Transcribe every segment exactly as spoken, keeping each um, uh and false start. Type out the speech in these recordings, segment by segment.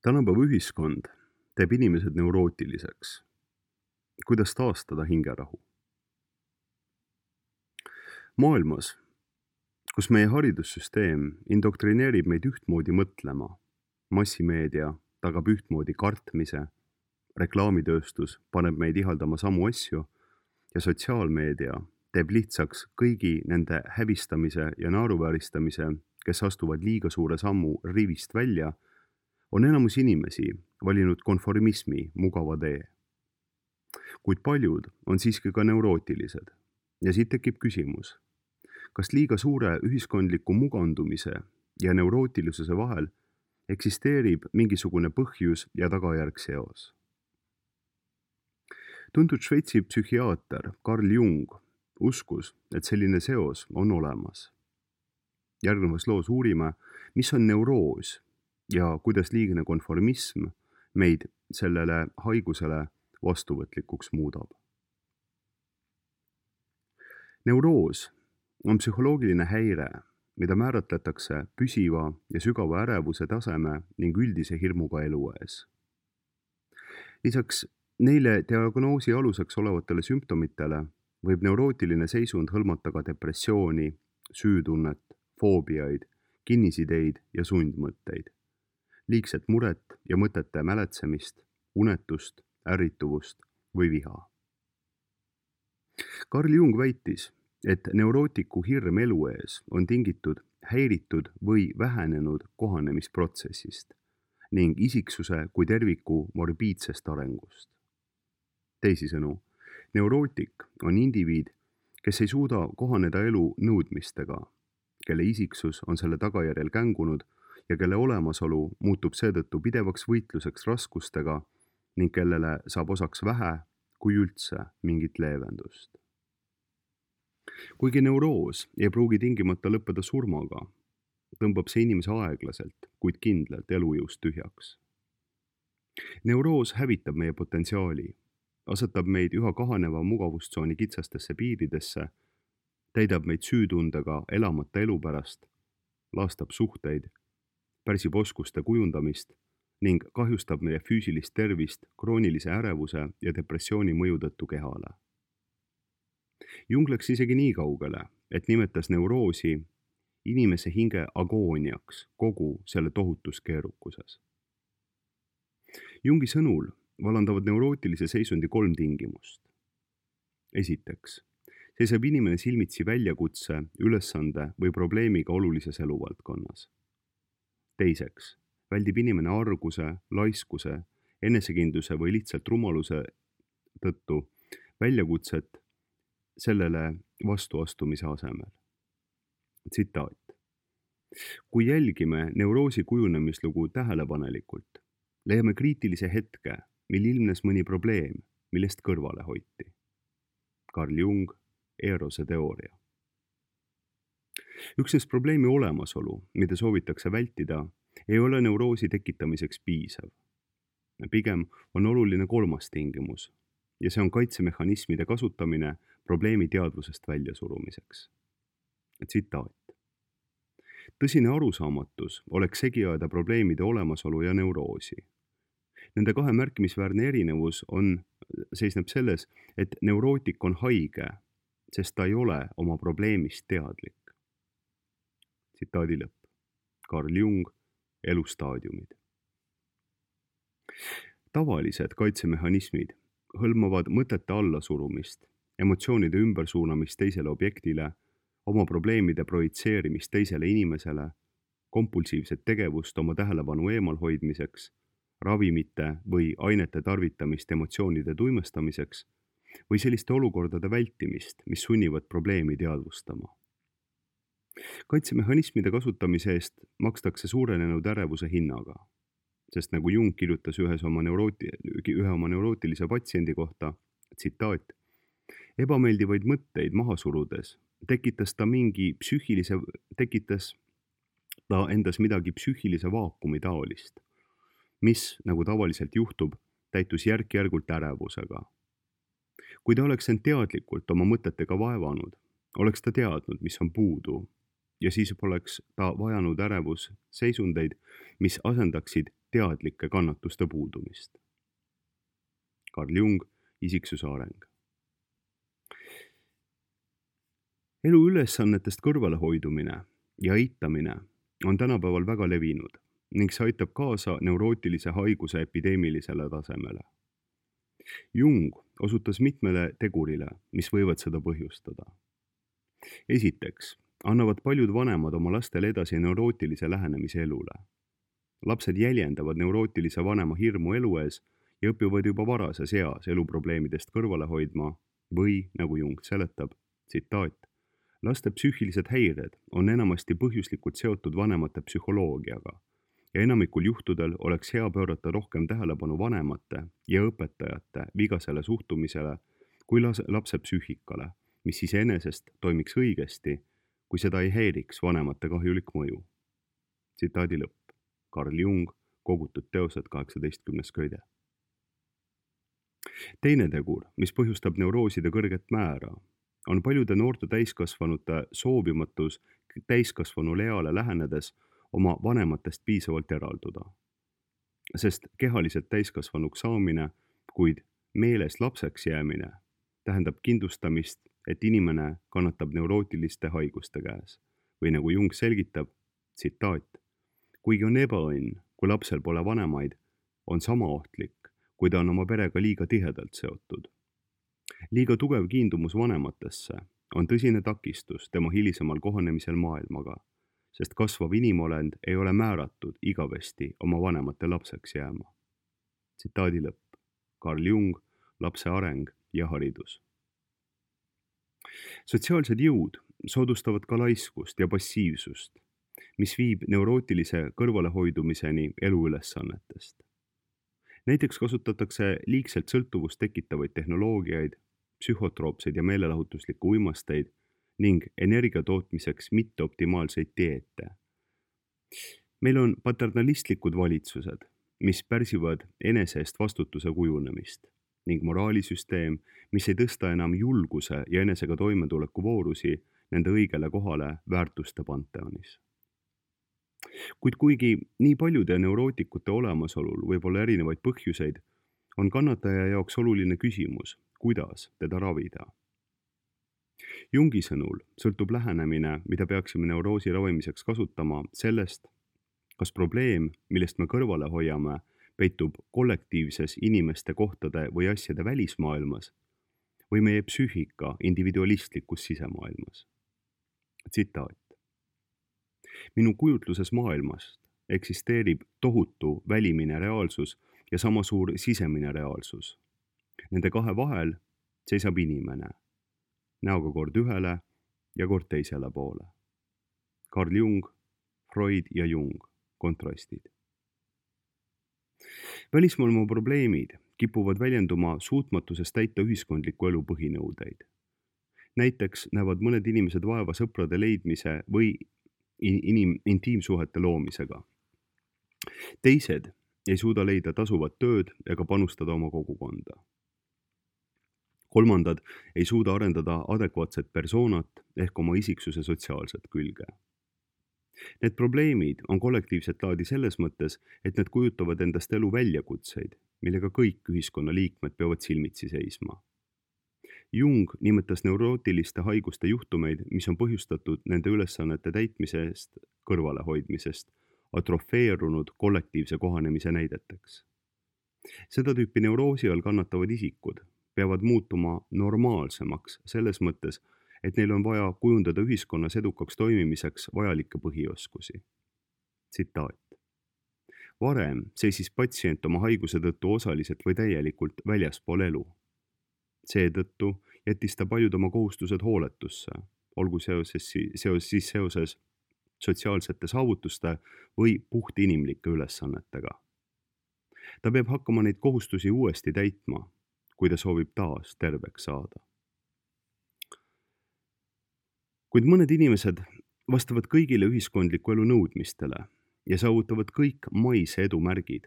Tänapäeva ühiskond teeb inimesed neurootiliseks. Kuidas taastada hingerahu? Maailmas, kus meie haridussüsteem indoktrineerib meid ühtmoodi mõtlema, massimeedia tagab ühtmoodi kartmise, reklaamitööstus paneb meid ihaldama samu asju ja sotsiaalmeedia teeb lihtsaks kõigi nende häbistamise ja naeruvääristamise, kes astuvad liiga suure sammu rivist välja, on enamus inimesi valinud konformismi mugava tee. Kuid paljud on siiski ka neurootilised ja siit tekib küsimus, kas liiga suure ühiskondliku mugandumise ja neurootilisuse vahel eksisteerib mingisugune põhjus ja tagajärg seos. Tuntud Šveitsi psühhiaater Carl Jung uskus, et selline seos on olemas. Järgnevas loos uurime, mis on neuroos ja kuidas liigne konformism meid sellele haigusele vastuvõtlikuks muudab. Neuroos on psühholoogiline häire, mida määratletakse püsiva ja sügava ärevuse taseme ning üldise hirmuga elu ees. Lisaks neile diagnoosi aluseks olevatele sümptomitele võib neurootiline seisund hõlmata ka depressiooni, süütunnet, foobiaid, kinnisideid ja sundmõtteid, liigset muret ja mõtete mäletsemist, unetust, ärrituvust või viha. Carl Jung väitis, et neurootiku hirm elu ees on tingitud häiritud või vähenenud kohanemisprotsessist ning isiksuse kui terviku morbiidsest arengust. Teisisõnu, neurootik on indiviid, kes ei suuda kohaneda elu nõudmistega, kelle isiksus on selle tagajärjel kängunud ja kelle olemasolu muutub seetõttu pidevaks võitluseks raskustega ning kellele saab osaks vähe kui üldse mingit leevendust. Kuigi neuroos ei pruugi tingimata lõppeda surmaga, tõmbab see inimese aeglaselt, kuid kindlalt elujõust tühjaks. Neuroos hävitab meie potentsiaali, asetab meid üha kahaneva mugavustsooni kitsastesse piiridesse, täidab meid süütundega elamata elu pärast, laastab suhteid, pärsib oskuste kujundamist ning kahjustab meie füüsilist tervist kroonilise ärevuse ja depressiooni mõju tõttu kehale. Jung läks isegi nii kaugele, et nimetas neuroosi inimese hinge agooniaks kogu selle tohutus keerukuses. Jungi sõnul vallandavad neurootilise seisundi kolm tingimust. Esiteks, seisab inimene silmitsi väljakutse, ülesande või probleemiga olulises eluvaldkonnas. Teiseks, väldib inimene arguse, laiskuse, enesekindluse või lihtsalt rumaluse tõttu väljakutset sellele vastuastumise asemel. Tsitaat. Kui jälgime neuroosi kujunemislugu tähelepanelikult, leiame kriitilise hetke, mil ilmnes mõni probleem, millest kõrvale hoiti. Carl Jung, Erose teooria. Üksnes probleemi olemasolu, mida soovitakse vältida, ei ole neuroosi tekitamiseks piisav. Pigem on oluline kolmas tingimus, ja see on kaitsemehhanismide kasutamine probleemi teadvusest väljasurumiseks. Tsitaat. Tõsine arusaamatus oleks segi ajada probleemide olemasolu ja neuroosi. Nende kahe märkimisväärne erinevus on, seisneb selles, et neurootik on haige, sest ta ei ole oma probleemist teadlik. Tsitaadi lõpp. Carl Jung, Elustaadiumid. Tavalised kaitsemehhanismid hõlmavad mõtete allasurumist, emotsioonide ümbersuunamist teisele objektile, oma probleemide projitseerimist teisele inimesele, kompulsiivset tegevust oma tähelepanu eemalhoidmiseks, ravimite või ainete tarvitamist emotsioonide tuimestamiseks või selliste olukordade vältimist, mis sunnivad probleemi teadvustama. Kaitsemehhanismide kasutamise eest makstakse suurenenud ärevuse hinnaga, sest nagu Jung kirjutas ühes oma neurooti, ühe oma neurootilise patsiendi kohta, tsitaat, ebameeldivaid mõtteid maha surudes tekitas ta mingi psüühilise, tekitas ta endas midagi psüühilise vaakumi taolist, mis, nagu tavaliselt juhtub, täitus järk-järgult ärevusega. Kui ta oleks end teadlikult oma mõtetega vaevanud, oleks ta teadnud, mis on puudu, ja siis poleks ta vajanud ärevus seisundeid, mis asendaksid teadlike kannatuste puudumist. Carl Jung, isiksuse areng. Elu ülesannetest kõrvalehoidumine ja eitamine on tänapäeval väga levinud ning see aitab kaasa neurootilise haiguse epideemilisele tasemele. Jung osutas mitmele tegurile, mis võivad seda põhjustada. Esiteks, annavad paljud vanemad oma lastele edasi neurootilise lähenemise elule. Lapsed jäljendavad neurootilise vanema hirmu elu ees ja õpivad juba varases eas eluprobleemidest kõrvale hoidma või, nagu Jung seletab, tsitaat, laste psüühilised häired on enamasti põhjuslikult seotud vanemate psühholoogiaga ja enamikul juhtudel oleks hea pöörata rohkem tähelepanu vanemate ja õpetajate vigasele suhtumisele kui lapse psüühikale, mis iseenesest toimiks õigesti, kui seda ei häiriks vanemate kahjulik mõju. Tsitaadi lõpp. Carl Jung, kogutud teosed kaheksateistkümnes köide. Teine tegur, mis põhjustab neurooside kõrget määra, on paljude noorte täiskasvanute soovimatus täiskasvanule eale lähenedes oma vanematest piisavalt eralduda. Sest kehaliselt täiskasvanuks saamine, kuid meeles lapseks jäämine, tähendab kindlustamist, et inimene kannatab neurootiliste haiguste käes. Või nagu Jung selgitab, tsitaat, kuigi on ebaõnn, kui lapsel pole vanemaid, on sama ohtlik, kui ta on oma perega liiga tihedalt seotud. Liiga tugev kiindumus vanematesse on tõsine takistus tema hilisemal kohanemisel maailmaga, sest kasvav inimolend ei ole määratud igavesti oma vanemate lapseks jääma. Tsitaadi lõpp. Carl Jung, lapse areng ja haridus. Sotsiaalsed jõud soodustavad ka laiskust ja passiivsust, mis viib neurootilise kõrvalehoidumiseni eluülesannetest. Näiteks kasutatakse liigselt sõltuvust tekitavaid tehnoloogiaid, psühhotroopseid ja meelelahutuslikku uimasteid ning energia tootmiseks mitteoptimaalseid dieete. Meil on paternalistlikud valitsused, mis pärsivad enese eest vastutuse kujunemist ning moraalisüsteem, mis ei tõsta enam julguse ja enesega toimetuleku voorusi nende õigele kohale väärtuste panteonis. Kuid kuigi nii paljude neurootikute olemasolul võib olla erinevaid põhjuseid, on kannataja jaoks oluline küsimus, kuidas teda ravida. Jungi sõnul sõltub lähenemine, mida peaksime neuroosi ravimiseks kasutama, sellest, kas probleem, millest me kõrvale hoiame, peitub kollektiivses inimeste kohtade või asjade välismaailmas või meie psüühika individualistlikus sisemaailmas. Tsitaat. Minu kujutluses maailmast eksisteerib tohutu välimine reaalsus ja sama suur sisemine reaalsus. Nende kahe vahel seisab inimene, näoga kord ühele ja kord teisele poole. Carl Jung, Freud ja Jung, kontrastid. Välismaailma probleemid kipuvad väljenduma suutmatuses täita ühiskondliku elu põhinõudeid. Näiteks näevad mõned inimesed vaeva sõprade leidmise või inim- intiimsuhete loomisega. Teised ei suuda leida tasuvat tööd ega panustada oma kogukonda. Kolmandad ei suuda arendada adekvaatset persoonat ehk oma isiksuse sotsiaalset külge. Need probleemid on kollektiivset laadi selles mõttes, et need kujutavad endast elu väljakutseid, millega kõik ühiskonna liikmed peavad silmitsi seisma. Jung nimetas neurootiliste haiguste juhtumeid, mis on põhjustatud nende ülesannete täitmisest, kõrvalehoidmisest, atrofeerunud kollektiivse kohanemise näideteks. Seda tüüpi neuroosi all kannatavad isikud peavad muutuma normaalsemaks selles mõttes, et neil on vaja kujundada ühiskonnas edukaks toimimiseks vajalikke põhioskusi. Tsitaat. Varem seisis patsient oma haiguse tõttu osaliselt või täielikult väljaspool elu. Seetõttu jättis ta paljud oma kohustused hooletusse, olgu seoses, seos, siis seoses sotsiaalsete saavutuste või puht inimlike ülesannetega. Ta peab hakkama neid kohustusi uuesti täitma, kui ta soovib taas terveks saada. Kuid mõned inimesed vastavad kõigile ühiskondliku elu nõudmistele ja saavutavad kõik maise edu märgid,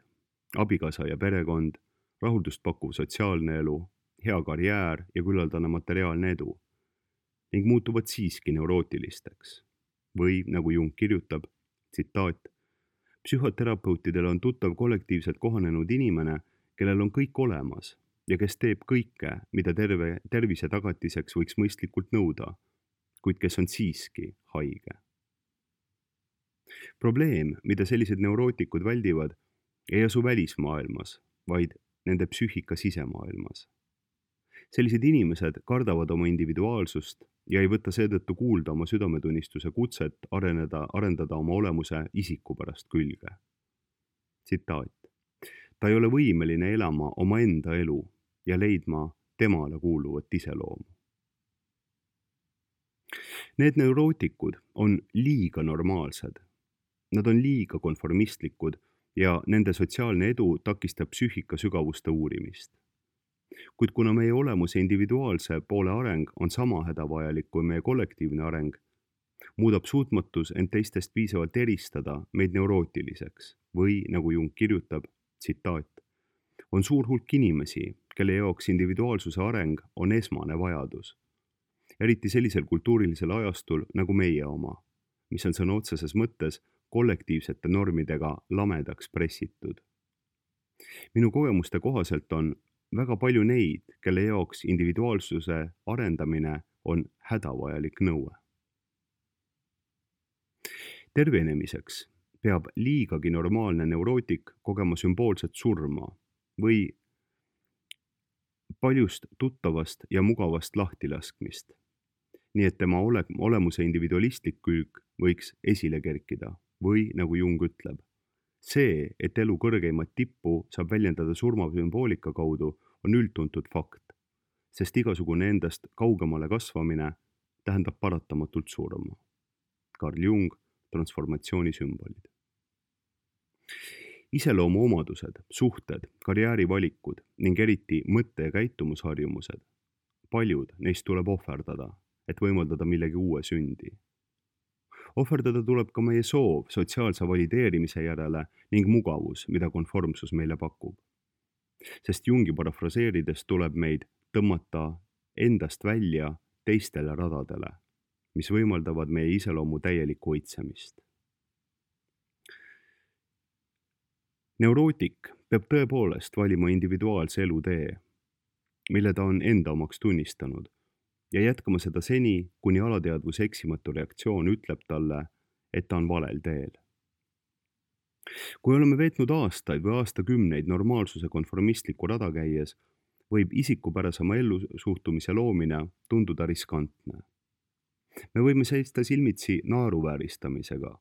abikaasa ja perekond, rahuldust pakkuv sotsiaalne elu, hea karjäär ja küllaldane materiaalne edu ning muutuvad siiski neurootilisteks. Või, nagu Jung kirjutab, tsitaat, Psühhoterapeutidel on tuttav kollektiivselt kohanenud inimene, kellel on kõik olemas ja kes teeb kõike, mida terve tervise tagatiseks võiks mõistlikult nõuda, kuid kes on siiski haige. Probleem, mida sellised neurootikud väldivad, ei asu välismaailmas, vaid nende psüühika sisemaailmas. Sellised inimesed kardavad oma individuaalsust ja ei võta seetõttu kuulda oma südametunnistuse kutset areneda, arendada oma olemuse isiku pärast külge. Tsitaat. Ta ei ole võimeline elama omaenda elu ja leidma temale kuuluvat iseloomu. Need neurootikud on liiga normaalsed. Nad on liiga konformistlikud ja nende sotsiaalne edu takistab psüühika sügavuste uurimist. Kuid kuna meie olemuse individuaalse poole areng on sama hädavajalik kui meie kollektiivne areng, muudab suutmatus end teistest piisavalt eristada meid neurootiliseks või, nagu Jung kirjutab, tsitaat, on suur hulk inimesi, kelle jaoks individuaalsuse areng on esmane vajadus. Eriti sellisel kultuurilisel ajastul nagu meie oma, mis on sõna otseses mõttes kollektiivsete normidega lamedaks pressitud. Minu kogemuste kohaselt on väga palju neid, kelle jaoks individuaalsuse arendamine on hädavajalik nõue. Tervenemiseks peab liigagi normaalne neurootik kogema sümboolset surma või paljust tuttavast ja mugavast lahtilaskmist, nii et tema ole, olemuse individualistlik külg võiks esile kerkida või, nagu Jung ütleb, see, et elu kõrgeimat tippu saab väljendada surmasümboolika kaudu, on üldtuntud fakt, sest igasugune endast kaugemale kasvamine tähendab paratamatult surma. Carl Jung, transformatsiooni sümbolid. Iseloomu omadused, suhted, karjäärivalikud ning eriti mõtte- ja käitumusharjumused. Paljud neist tuleb ohverdada, et võimaldada millegi uue sündi. Ohverdada tuleb ka meie soov sotsiaalse valideerimise järele ning mugavus, mida konformsus meile pakub. Sest Jungi parafraseerides tuleb meid tõmmata endast välja teistele radadele, mis võimaldavad meie iseloomu täielikku õitsemist. Neurootik peab tõepoolest valima individuaalse elutee, mille ta on enda omaks tunnistanud, ja jätkama seda seni, kuni alateadvuse eksimatu reaktsioon ütleb talle, et ta on valel teel. Kui oleme veetnud aastaid või aastakümneid normaalsuse konformistliku rada käies, võib isikupärasema ellusuhtumise loomine tunduda riskantne. Me võime seista silmitsi naeruvääristamisega,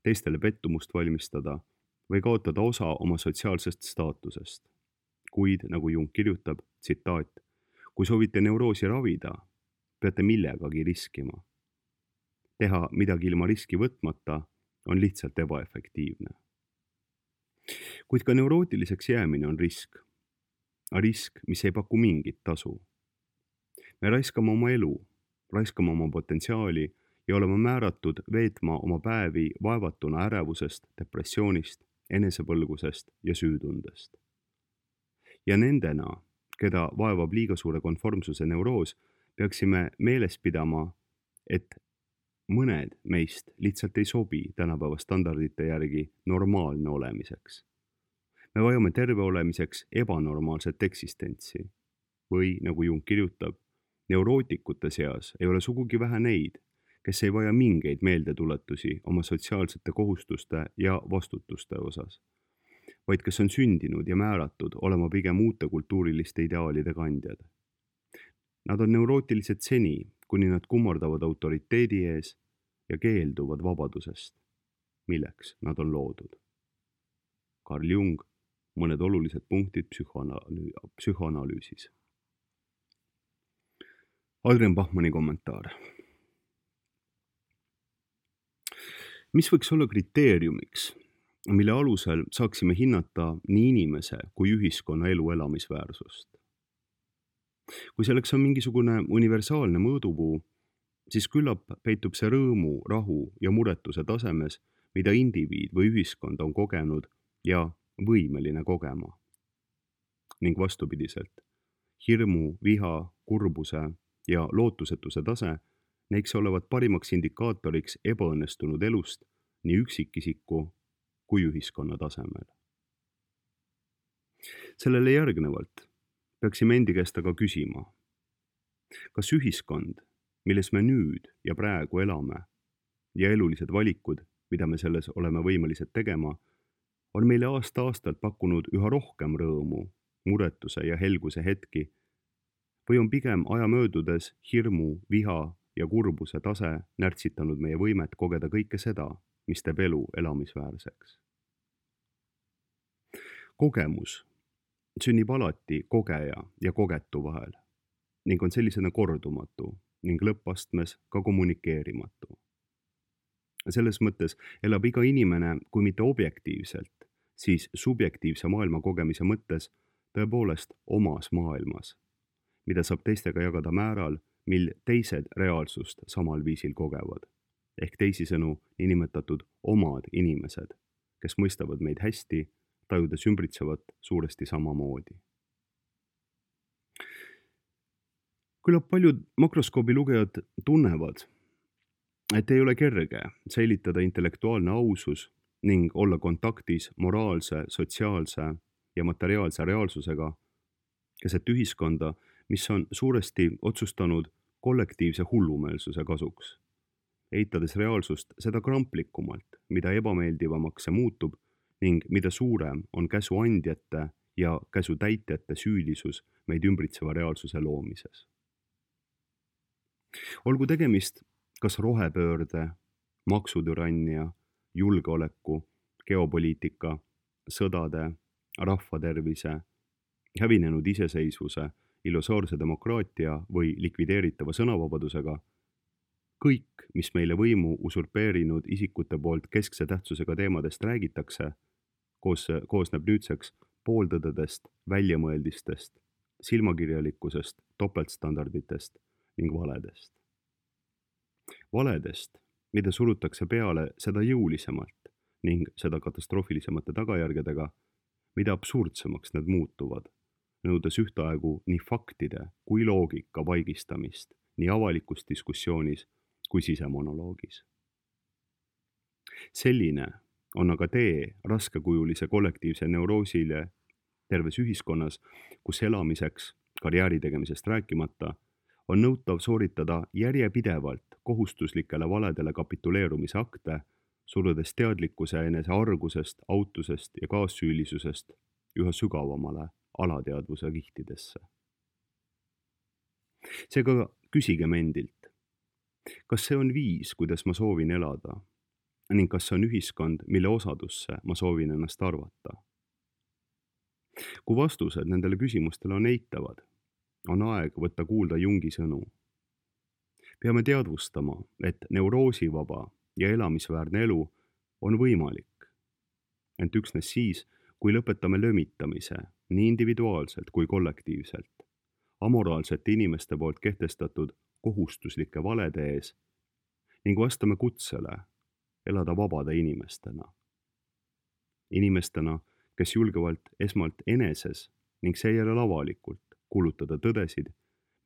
teistele pettumust valmistada või kaotada osa oma sotsiaalsest staatusest. Kuid, nagu Jung kirjutab, tsitaat, kui soovite neuroosi ravida, peate millegagi riskima. Teha midagi ilma riski võtmata on lihtsalt ebaefektiivne. Kuid ka neurootiliseks jäämine on risk. Risk, mis ei paku mingit tasu. Me raiskame oma elu, raiskame oma potentsiaali ja oleme määratud veetma oma päevi vaevatuna ärevusest, depressioonist, enesepõlgusest ja süütundest. Ja nendena, keda vaevab liiga suure konformsuse neuroos, peaksime meeles pidama, et mõned meist lihtsalt ei sobi tänapäeva standardite järgi normaalne olemiseks. Me vajame terve olemiseks ebanormaalset eksistentsi. Või, nagu Jung kirjutab, neurootikute seas ei ole sugugi vähe neid, kes ei vaja mingeid meeldetuletusi oma sotsiaalsete kohustuste ja vastutuste osas, vaid kes on sündinud ja määratud olema pigem uute kultuuriliste ideaalide kandjad. Nad on neurootilised seni, kuni nad kummardavad autoriteedi ees ja keelduvad vabadusest, milleks nad on loodud. Carl Jung, mõned olulised punktid psühhoanalüü- psühhoanalüüsis. Adrian Bachmanni kommentaar. Mis võiks olla kriteeriumiks, mille alusel saaksime hinnata nii inimese kui ühiskonna elu elamisväärsust? Kui selleks on mingisugune universaalne mõõdupuu, siis küllap peitub see rõõmu, rahu ja muretuse tasemes, mida indiviid või ühiskond on kogenud ja võimeline kogema. Ning vastupidiselt, hirmu, viha, kurbuse ja lootusetuse tase näiks olevat parimaks indikaatoriks ebaõnnestunud elust nii üksikisiku kui ühiskonna tasemel. Sellele järgnevalt peaksime endi käest aga küsima, kas ühiskond, milles me nüüd ja praegu elame ja elulised valikud, mida me selles oleme võimelised tegema, on meile aasta-aastalt pakkunud üha rohkem rõõmu, muretuse ja helguse hetki või on pigem aja möödudes hirmu, viha ja kurbuse tase närtsitanud meie võimet kogeda kõike seda, mis teeb elu elamisväärseks. Kogemus sünnib alati kogeja ja kogetu vahel ning on sellisena kordumatu ning lõppastmes ka kommunikeerimatu. Selles mõttes elab iga inimene, kui mitte objektiivselt, siis subjektiivse maailma kogemise mõttes tõepoolest omas maailmas, mida saab teistega jagada määral, mil teised reaalsust samal viisil kogevad, ehk teisisõnu niinimetatud omad inimesed, kes mõistavad meid hästi, tajudes ümbritsevat suuresti samamoodi. Küllap paljud makroskoobi lugejad tunnevad, et ei ole kerge säilitada intellektuaalne ausus ning olla kontaktis moraalse, sotsiaalse ja materiaalse reaalsusega keset ühiskonda, mis on suuresti otsustanud kollektiivse hullumeelsuse kasuks, eitades reaalsust seda kramplikumalt, mida ebameeldivamaks see muutub ning mida suurem on käsuandjate ja käsutäitjate süülisus meid ümbritseva reaalsuse loomises. Olgu tegemist kas rohepöörde, maksutürannia, julgeoleku, geopoliitika, sõdade, rahvatervise, hävinenud iseseisvuse, illusoorse demokraatia või likvideeritava sõnavabadusega, kõik, mis meile võimu usurpeerinud isikute poolt keskse tähtsusega teemadest räägitakse, koos, koosneb nüüdseks pooltõdedest, väljamõeldistest, silmakirjalikkusest, topeltstandarditest ning valedest. Valedest, mida surutakse peale seda jõulisemalt ning seda katastroofilisemate tagajärgedega, mida absurdsemaks need muutuvad, nõudes ühtaegu nii faktide kui loogika vaigistamist nii avalikus diskussioonis kui sisemonoloogis. Selline on aga tee raskekujulise kollektiivse neuroosile terves ühiskonnas, kus elamiseks, karjääri tegemisest rääkimata, on nõutav sooritada järjepidevalt kohustuslikele valedele kapituleerumise akte, surudes teadlikkuse enese argusest, autusest ja kaassüülisusest üha sügavamale alateadvuse kihtidesse. Seega küsigem endilt, kas see on viis, kuidas ma soovin elada, ning kas see on ühiskond, mille osadusse ma soovin ennast arvata? Kui vastused nendele küsimustele on eitavad, on aeg võtta kuulda Jungi sõnu. Peame teadvustama, et neuroosivaba ja elamisväärne elu on võimalik, ent üksnes siis, kui lõpetame lömitamise nii individuaalselt kui kollektiivselt, amoraalsete inimeste poolt kehtestatud kohustuslike valede ees ning vastame kutsele elada vabade inimestena. Inimestena, kes julgevalt esmalt eneses ning seejärel avalikult kulutada tõdesid,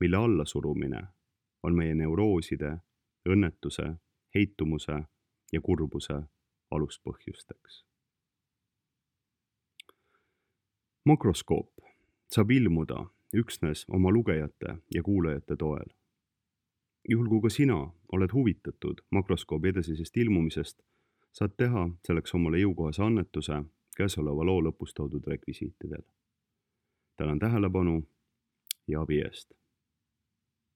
mille allasurumine on meie neurooside, õnnetuse, heitumuse ja kurbuse aluspõhjusteks. Makroskoop saab ilmuda üksnes oma lugejate ja kuulajate toel. Juhul kui ka sina oled huvitatud makroskoobi edasisest ilmumisest, saad teha selleks omale jõukohase annetuse käesoleva loo lõpus toodud rekvisiitidel. Tänan tähelepanu ja abi eest.